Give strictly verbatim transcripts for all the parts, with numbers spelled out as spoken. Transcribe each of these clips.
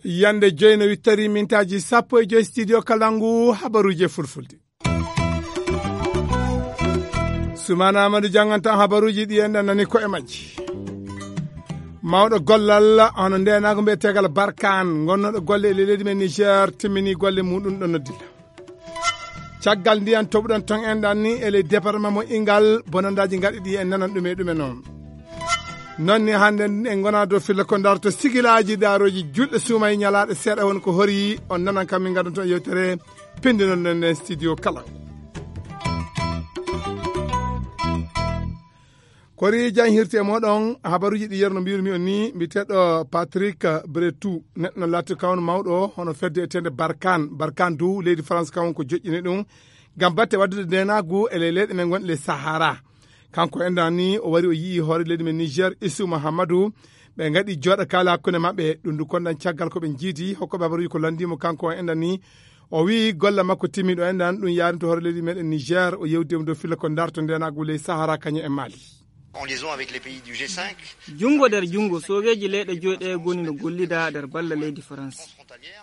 Yande joyi no wittari mintaaji sappo e joyi, studio Kalangu, habaruuje fulfulde. Sumana Amadou janngantaa habaruuji ɗi en nani ko e majji. Mawɗo gollal hono ndeenaagu mbiyeteegal Barkaan, ngonnooɗo golle e leydi men Niger, timmini golle muɗum ɗo noddila. Caggal ndiyan toɓuɗon ton en ɗan ni e ley département mo Ingal, bonandaaji ngaɗi ɗi en nanan ɗume ɗume noon. Noon ni hannde en ngona dow filla ko darto sigilaaji daarooji julɗe suuma e ñalaaɗe seeɗa woni ko hori, on nanan kam min ngaddanto yewtere pinndinol nden nden studio kala. Kori jan hirti e moɗon habaruuji ɗi yerno mbiyirmi on ni, mbiteɗo Patrick Bretou, neɗɗo no laati kawon mawɗo hono fedde etende Barkan. Barkan dow leydi France kawon ko joƴƴini ɗum ngam batte waddude ndenagu e ley leyɗe men gonɗe ley Sahara. Kanko enɗan ni o wari o yi'i hoore leydi men Niger, Isu Mahamadou, ɓe ngaɗi jooɗa kaala hakkunde maɓɓe. Ɗum du konɗan caggal ko ɓe jiidi hokkoɓe habaruuji ko landimo kanko o enɗan ni. O wi'i golle makko timmiɗo enɗan ɗum yarinto hoore leydi meɗen Niger, o yewdi mo dow filla ko darto ndenagu ley Sahara kañum e Mali. En liaison avec les pays du G cinq. Junngo nder junngo, soogeeji leyɗe joyi ɗe ngoni no gollida nder balla leydi France.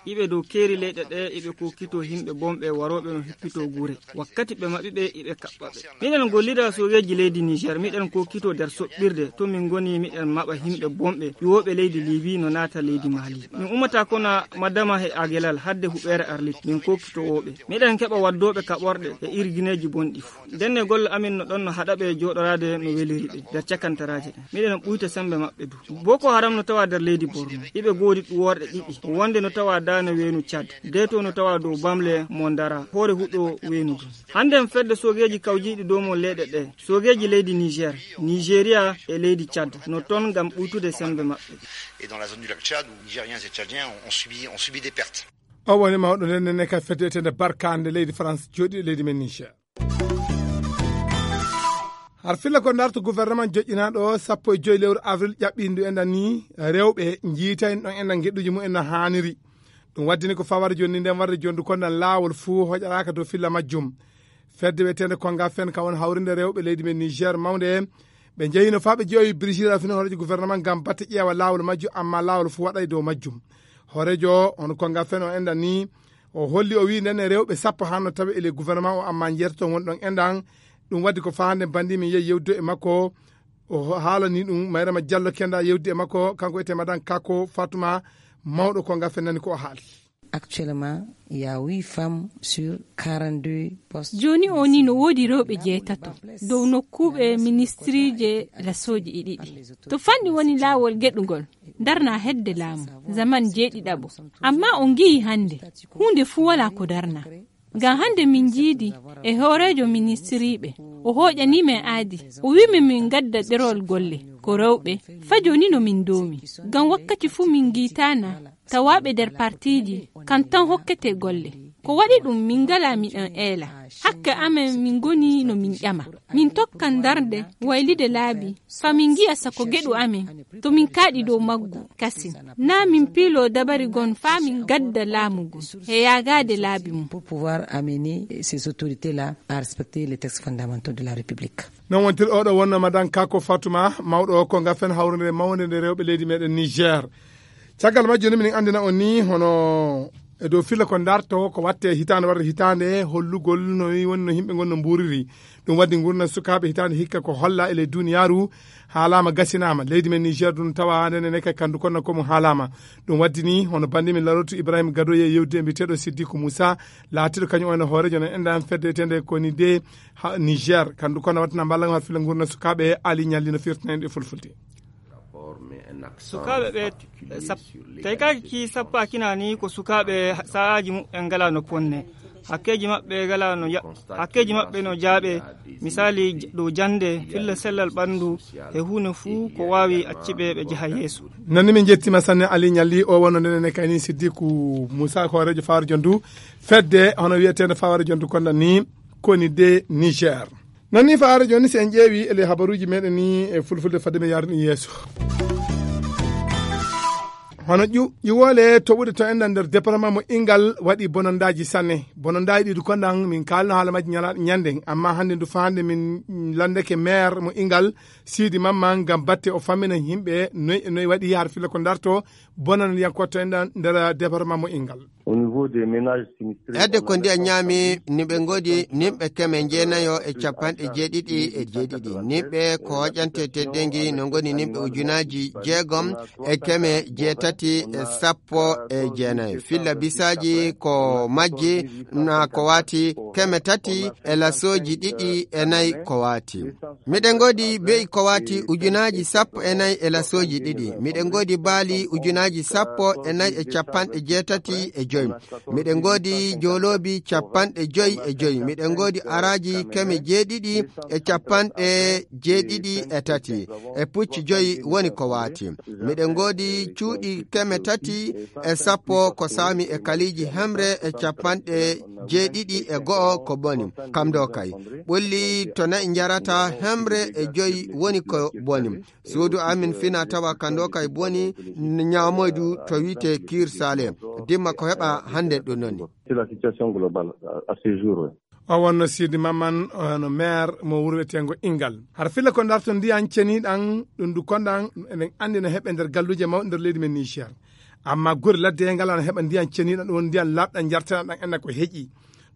Iɓe dow keeri leyɗe ɗe, iɓe kokkito yimɓe bonɓe warooɓe no hippito gure. Wakkati ɓe maɓɓi ɓe, iɓe kaɓɓa ɓe. Miɗen gollida soogeeji leydi Niger, miɗen kokkito nder soɓɓirde, to min ngoni miɗen maɓa yimɓe bonɓe, ƴuwooɓe leydi Libi no naata leydi Mali. Min ummata kono Madama e Agelal hadde huɓeere Arlit, min kokkito wooɓe. Miɗen keɓa waddooɓe kaɓorɗe e irgineeji bonɗi fuu. Ndenne golle amin no ɗon no haɗa ɓe jooɗoraade no weliri ɓe nder cakantaraaji ɗen. Miɗen ɓuyta sembe maɓɓe du. Boko Haram no tawa nder leydi Borno. Iɓe goodi ɗuworɗe ɗiɗi. Wonde no tawa daane weenu Cad. Deto no tawa dow bamle mo Ndara, hoore huɗo weenu du. Hannde en fedde soogeeji kawjiiɗi dow mo leyɗe ɗe. Soogeeji leydi Niger, Nigeria e leydi Cad no ton ngam ɓuytude sembe maɓɓe. Et dans la zone du lac Tchad, où Nigériens et Tchadiens ont, ont subi, ont subi des pertes. O woni mawɗo nden nene ka fedde etende Barkande leydi France jooɗi e leydi men Niger. Har filla ko darto gouvernement joƴƴinaaɗo sappo e joyi lewru avril ƴaɓɓindu enɗan ni rewɓe njiitayno ɗon enɗan geɗuji mumen no haaniri. Ɗum waddini ko fawara jonni nden warde jondu konɗan laawol fuu hoƴaraaka dow filla majjum. Fedde wiyeteende Konga Fen ka woni hawrinde rewɓe leydi men Niger mawnde ɓe njehino faa ɓe jeeyoyi Brigitte Raffini hooreejo gouvernement ngam batte ƴeewa laawol majjum, amma laawol fuu waɗay dow majjum. Hooreejo o, hono Konga Fen o enɗan ni, o holli o wi'i nden e rewɓe sappo hanno tawe e ley gouvernement o, amma njeetato woni ɗon enɗan. Ɗum waddi ko faa hannde banndi min yehi yewdude e makko. O haalani ɗum Mayrama Diallo kenda yewdude e makko, kanko wiyetee Madan Kako Fatuma, mawɗo Konga Fen nani ko o haali. Actuellement, il y a huit femmes sur quarante-deux postes. Jooni o ni no woodi rewɓe jeetato dow nokkuuɓe ministiriije lasooji e ɗiɗi. To fanɗi woni laawol geɗugol, darna hedde laamu, zaman jeeɗiɗaɓo. Amma on ngi'i hannde, huunde fuu walaa ko darna. Ngam hannde min njiidi e hooreejo ministiriiɓe, o hooƴanii men aadi, o wi'i min min ngadda ɗerol golle, ko rewɓe, faa jooni no min ndoomi. Ngam wakkati fuu min ngiitaana, tawaaɓe nder partiiji, kam tan hokkete golle. Ko waɗi ɗum min ngalaa miɗen eela. Hakke amen min ngoni no min ƴama. Min tokkan darde, waylude laabi, faa min ngi'a sako geɗu amen, to min kaaɗi dow maggu, kasin. Naa min piilo dabari gon faa min ngadda laamu ngun, e yaagaade laabi mum. Pour pouvoir amener ces autorités-là à respecter les textes fondamentaux de la République. Non wontir oɗo wonno Madan Kako Fatuma, mawɗo o Konga Fen hawrunde mawnde nde rewɓe leydi meɗen Niger. Caggal majjum ni minen anndina on ni hono e dow filla ko darto ko watte hitaande warde hitaande, hollugol no woni no yimɓe ngon no mbuuriri. Ɗum waddi ngurndan sukaaɓe hitaande hikka ko holla e ley duniyaaru haalaama gasinaama. Leydi men Niger ɗum tawa nene ne kay kandu kono ko mum haalaama. Ɗum waddi ni hono banndi min Larotu Ibrahima Gadoye yewdude e mbiyeteeɗo Siddiku Moussa, laatiiɗo kañum on hooreejo no enɗan fedde etende ko ni de ha Niger. Kandu kono wattana mballa ngam filla ngurndan sukaaɓe Ali Ñalli no firtina en ɗe fulfulde. Sukaaɓe ɓe sap-, tawi kaki sappo akina ni ko sukaaɓe sa'aaji muɓɓen ngala no ponne. Hakkeeji maɓɓe ngala no ya-, hakkeeji maɓɓe no jaaɓe, misali j-, dow jannde, filla sellal ɓanndu, e huunde fuu ko waawi acciɓe ɓe njaha yeeso. Nani min njettima sanne Ali Ñalli o wonno ndenen e kayni Siddiku Moussa hooreejo Fawara Jondu fedde hono wiyeteende Fawara Jondu konda ni koni de Niger. Nani Fawara Jondu si en ƴeewi e ley habaruuji meɗen ni e fulfulde fadde mi yaarani yeeso. Hono ƴu-, ƴiwoole toɓuɗe to enɗan nder département mo Ingal waɗi bonondaaji sanne. Bonondaaji ɗi du konɗan min kaalno haala majji ñala-, ñande. Amma hannde du faande min landeke maire mo Ingal, Sidi Mamman, ngam batte o fammina yimɓe noy e noy waɗi har filla ko darto bonondiyankoɓe to enɗan nder département mo Ingal. Au niveau des ménages sinistrés, Hedde on ko a ndiyan ñaami, ni ɓe ngodi nimɓe keme jeenayo e capanɗe jeeɗiɗi e jeeɗiɗi. Nimɓe ko hoƴante teddeengi no ngoni nimɓe ujunaaji jeegom e keme jeetati e sappo e jeenayo. Filla bisaaji ko majji na ko waati keme tati e lasooji ɗiɗi e nayi ko waati. Miɗen ngoodi be'i ko waati ujunaaji sappo e nayi e lasooji ɗiɗi. Miɗen ngoodi baali ujunaaji sappo e nayi e capanɗe jeetati e joy. Miɗen ngoodi jooloobi capanɗe joy e joy. Miɗen ngoodi araaji keme jeeɗiɗi e capanɗe jeeɗiɗi e tati. E pucci joy woni ko waati. Miɗen ngoodi cuuɗi keme tati e sappo ko saami e kaliiji hemre e capanɗe jeeɗiɗi e go'o ko boni. Kam ɗo kay. Ɓulli to na'i njarata hemre e joy woni ko boni. Suudu amin fina tawa kando kay boni ñaamoydu to wi'ete Kiir Sale. Dimma ko heɓa hannde ɗum noon. C'est la situation globale à, à ce jour, oui. O wonno Sidi Mamman, o hono maire mo wuro wiyeteengo Ingal. Hara filla ko darto ndiyan ceniɗan, ɗum du konɗan, eɗen anndi no heɓe nder galluuje mawɗe nder leydi men Niger. Amma gure ladde ngala no heɓa ndiyan ceniɗan, ɗum woni ndiyan laaɓɗan jarteɗan ɗan enna ko heƴi.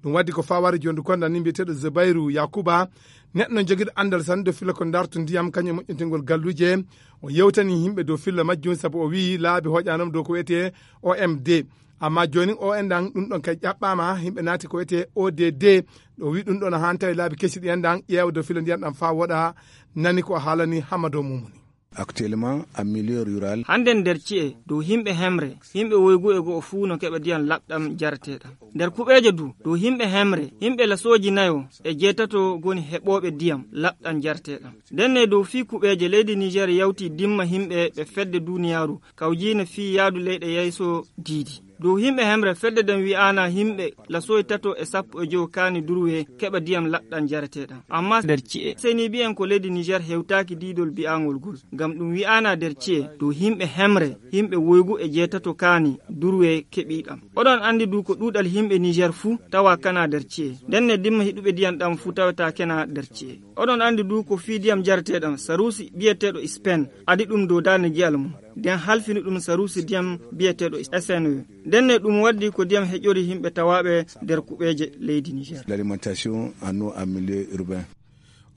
Ɗum waddi ko fawari jondi konɗan ni mbiyeteeɗo Zubairu Yakuba, neɗɗo no jogiiɗo anndal sanne dow filla ko darto ndiyam, kañum e moƴƴintingol galluuje. O yewtani yimɓe dow filla majjum sabu o wiyi laabi hoƴanom dow ko wiyetee O M D. Amma jooni o enɗan ɗum ɗon kay ƴaɓɓaama, yimɓe naati ko wiyetee O D D. Ɗo wi ɗum ɗon haa tawi laabi kesi ɗi enɗan ƴeewa dow filla ndiyan ɗan faa woɗa, nani ko o haalani Hamado Mumuni. Actuellement, en milieu rural. Hannde nder ci'e, dow yimɓe hemre, yimɓe woygu e go'o fuu no keɓa ndiyam laɓɗam jareteeɗam. Nder kuɓeeje du, dow yimɓe hemre, yimɓe lasooji nayo e jeetato ngoni heɓooɓe ndiyam laɓɗam jareteeɗam. Ndenne dow fii kuɓeeje, leydi Niger yawti dimma yimɓe ɓe fedde duniyaaru kawjiine fii yaadu leyɗe yeeso diidi. Dow yimɓe hemre, fedde nden wi'aana yimɓe lasooji tato e sappo e jowo kaani durwe keɓa ndiyam laɓɗam jareteeɗam. Amma nder ci'e, seni bi'en ko leydi Niger hewtaaki diidol bi'aangol gol. Ngam ɗum wi'aana nder ci'e, dow yimɓe hemre, yimɓe woygu e jeetato kaani durwe keɓi ɗam. Oɗon anndi du ko ɗuuɗal yimɓe Niger fuu tawa kana nder ci'e. Ndenne dimma hiɗuɓe ndiyam ɗam fuu tawata kena nder ci'e. Oɗon anndi du ko fii ndiyam jareteeɗam saruusi bi'eteeɗo Spain adi ɗum dow daande giyal mum. Nden halfini ɗum saruusi ndiyam bi'eteeɗo S N E. Ndenne ɗum waddi ko ndiyam heƴori yimɓe tawaaɓe nder kuɓeeje leydi Niger. L'alimentation en eau en milieu urbain.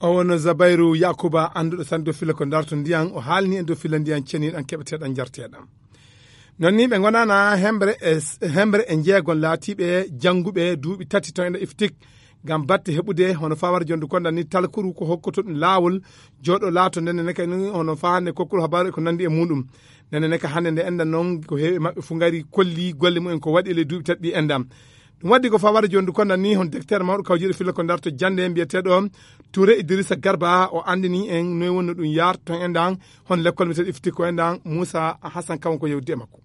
O wonno Zabairu Yakuba, annduɗo tan dow filla ko darto ndiyan, o haalni en dow filla ndiyan ceniɗan keɓeteɗan jarteɗan. Non ni ɓe ngonana hembre e, hembre e jeegon laatiɓe jannguɓe duuɓi tati to ene iftik ngam batte heɓude hono fawar jondu konda ni talkuru ko hokkoto ɗum laawol jooɗo laato nden ne kay ni hono fahande kokkol habaru e ko nandi e muɗum. Nden ne ka hande nde enɗan non ko heewi e maɓɓe fu ngari kolli golle mumen ko waɗi e ley duuɓi tati ɗi enɗan. Ɗum waddi ko fawar jondu konda ni hon docteur mawɗo kawjiɗo filla ko darto jande mbiyeteɗo Touré Idrissa Garba o andini en noy wonno ɗum yaar ton enɗan hon lekkol mbiyeteɗo ifti ko enɗan Moussa Hassan Kawan ko yewdi e makko.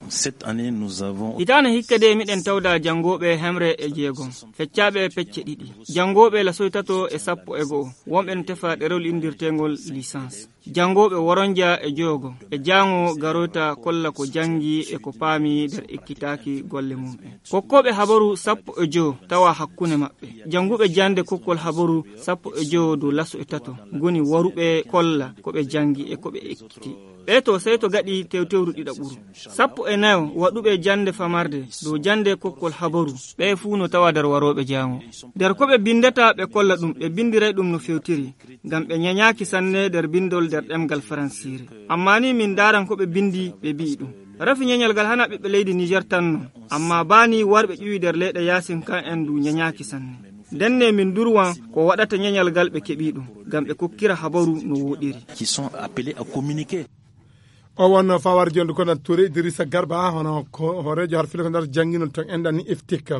Cette année, nous avons Hitaane hikka de miɗen tawda janngooɓe hemre e jeegom, feccaaɓe pecce ɗiɗi. Janngooɓe lasoy tato e sappo e go'o, wonɓe no tefa ɗerewol inndirteengol licence. Janngooɓe woronja e joyogo e jaango garoyta kolla ko janngi e ko paami nder ekkitaaki golle mum'en. Kokkooɓe habaru sappo e jowo tawa hakkunde maɓɓe. Jannguɓe jannde kokkol habaru sappo e jowo dow laso e tato ngoni waruɓe kolla ko ɓe janngi e ko ɓe ekkiti. Ɓe to sey to gaɗi tewtewru ɗiɗaɓuru. Sappo e nayo waɗuɓe jannde famarde dow jannde kokkol habaru, ɓe fuu no tawa nder warooɓe jaango. Nder ko ɓe binndata ɓe kolla ɗum, ɓe binndiray ɗum no fewtiri, ngam ɓe ñañaaki sanne nder binndol nder ɗemngal faransiire. Ammaa ni min ndaaran ko ɓe binndi, ɓe bi'i ɗum. Rafi ñeñal ngal hana ɓiɓɓe leydi Niger tan non, ammaa baa ni warɓe ƴuwi nder leyɗe yaasin kan en du ñañaaki sanne. Ndenne min durwan ko waɗata ñeñal ngal ɓe keɓi ɗum, ngam ɓe kokkira habaru no woɗiri. Qui sont appelés à communiquer. O wonno fawar jondu kono Touré Idrissa Garba, hono ko hooreejo har filo ko nder jannginol ton enɗan ni iftik.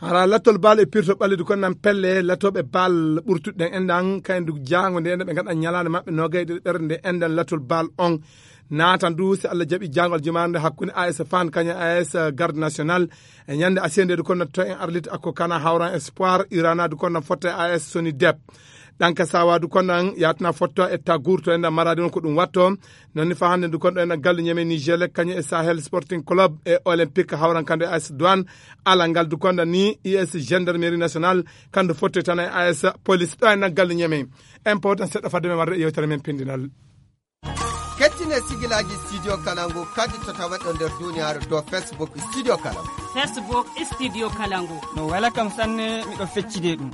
Hara lattol baal e pirto ɓallidu kon nan pelle latooɓe baal ɓurtuɗe ɗen enɗan, kayen du jaango nde enɗan ɓe ngaɗa ñalaande maɓɓe noogay e ɗiɗi ɓernde enɗan lattol baal on. Naatan du, si Allah jaɓi, jaangol jumaare nde hakkunde A S Fan kañum A S Garde National e ñande asiyende du kono to en arlit akko kana hawran Espoir, Irana du kono fotte A S Soni Dep. Ɗanka sawa du konɗan yatna fotto e tagur to enɗan maradi on ko ɗum watto. Nonni fa hannde du konɗo enɗan gallu ñeme Niger le kañum e Sahel Sporting Club e Olympique hawran kando e A S Douane. Ala ngal du konɗan ni U S Gendarmerie Nationale kando fotto tan e A S Police ɗo enɗan gallu ñeme. En pawtan seɗɗa fadde men warde e yewtere men pindinal. Kettine sigilaaji Studio Kalangu kadi to tawaɗo nder duniyaaru dow Facebook Studio Kalangu. Facebook Studio Kalangu. No wela kam sanne, miɗo feccide ɗum.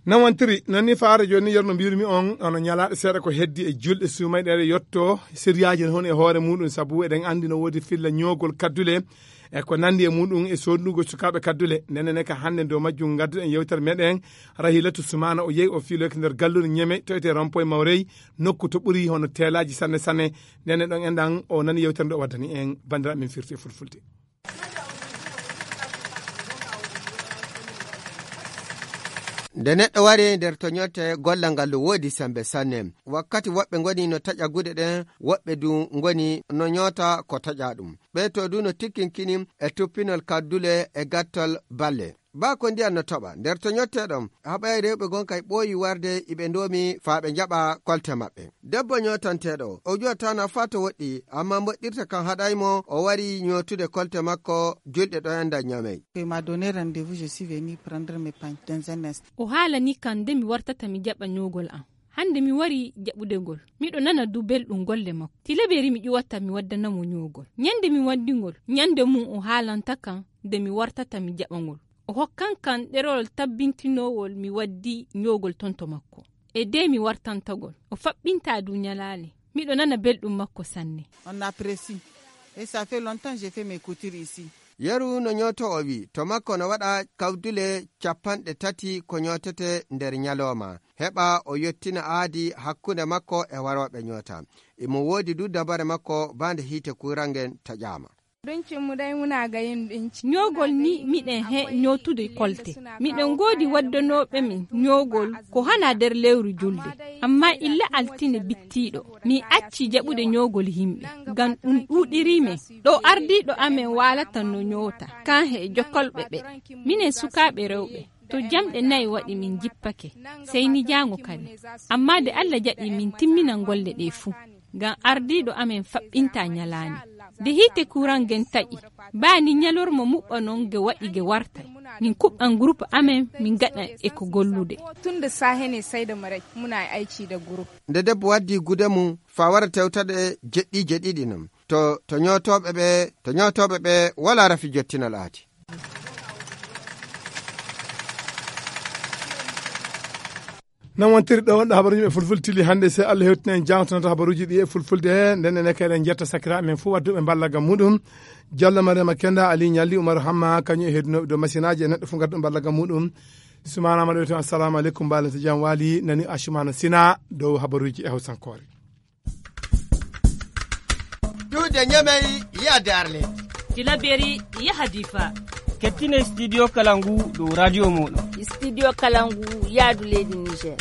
Nawantiri, non ni faare jooni, yerno mbiyirmi on, ono ñalaaɗe seeɗa ko heddi e julɗe suumayɗe ɗe yotto, siriyaaji ne hon e hoore muɗum, sabu eɗen anndi no woodi filla ñoogol kaddule, e ko nanndi e muɗum e soodnugol sukaaɓe kaddule. Ndenen ka hannde dow majjum ngadduɗen yewtere meɗen, Rahilatu Sumana, o yehi o fiiloyke nder gallure Ñeme, to etee Rompoy Mawrey, nokku to ɓuri hono teelaaji sanne sanne. Ndenen ɗon enɗan, o nani yewtere nde o waddani en, banndiraaɓe men firti e fulfulde. Nde neɗɗo wari nder to ñotte, gollal ngal no woodi sembe sanne. Wakkati woɓɓe ngoni no taƴa gude ɗen, woɓɓe du ngoni no ñoota ko taƴa ɗum. Ɓe to du no tikkinkini e tuppinol kaddule e gattol balle. Baa ko ndiyan no toɓa nder to ñotteɗon, haɓay rewɓe gon kay ɓooyi warde iɓe ndoomi faa ɓe njaɓa kolte maɓɓe. Debbo ñootanteeɗo, o juwataana faa to woɗɗi, ammaa moƴƴirta kan haɗay mo, o wari ñootude kolte makko julɗe ɗo enɗan Ñamey. Il m'a donné rendez-vous, je suis venu prendre mes pains dans un instant. O haalani kan nde mi wartata mi jaɓa ñoogol am. Hannde mi wari jaɓude ngol. Miɗo nana du belɗum golle makko. Tilaberi mi ƴuwata mi waddana mo ñoogol. Ñande mi waddi ngol, ñande mum o haalanta kan nde mi wartata mi jaɓa ngol. O hokkan kan ɗerewol tabbintinoowol mi waddi ñoogol ton to makko. E de mi wartanta ngol. O faɓɓinta du ñalaale. Miɗo nana belɗum makko sanne. On apprécie. Et ça fait longtemps j'ai fait mes coutures ici. Yeru no ñooto o wi, to makko no waɗa kawdule capanɗe tati ko ñootete nder ñalooma. Heɓa o yottina aadi hakkunde makko e warooɓe ñoota. Imo woodi du dabare makko baa nde hiite kurangen taƴaama. Abincin mu dai muna ga yin ɗinki. Ñoogol ni miɗen he ñootude kolte. Miɗen ngoodi waddanooɓe min ñoogol ko hana nder lewru julde. Amma illa altine bittiiɗo, mi acci jaɓude ñoogol yimɓe. Ngam ɗum ɗuuɗiri men. Ɗo ardiiɗo amen waalata no ñoota, kan he jokolɓe ɓe. Minen sukaaɓe rewɓe, to jamɗe nayi waɗi min jippake, sey ni jaango kadi. Amma nde Allah jaɓi min timminan golle ɗe fuu. Ngam ardiiɗo amen faɓɓinta ñalaande. Nde hiite kuran ngen taƴi, baa ni ñalorma muɓɓa non nge waɗi nge wartay. Min kuɓɓan groupe amen, min ngaɗa e ko gollude. Tun da sahe ne sai da marai muna aiki da groupe. Nde debbo waddi gude mum, faa wara tewtaɗe jeɗɗiije ɗiɗi non. To, to ñootooɓe ɓe, to ñootooɓe ɓe wala rafi jottinal aadi. Non wontiri ɗo wonɗo habaruuji ɓe fulfulde tili hannde. Se Allah hewtina en jangtonata habaruuji ɗi e fulfulde. Nden enen kay eɗen jetta sakiraaɓe men fof wadduɓe mballa gam muɗum. Jallo Mariama Kenda, Ali Ñalli, Umaru Hamma, kañum e heddunooɓe dow masinaaji e neɗɗo fof ngadduɗo mballa gam muɗum. Sumana Maɗo wiya toon, assalamu aleykum, mbaalante jam waali, nani Asumana Sina dow habaruuji e hawsankoore. Duude Ñamey, yaade Arlet. Tilaberi, yaha Difa. Kettine Studio Kalangu dow radio mooɗon. Studio Kalangu, yaadu leydi Niger.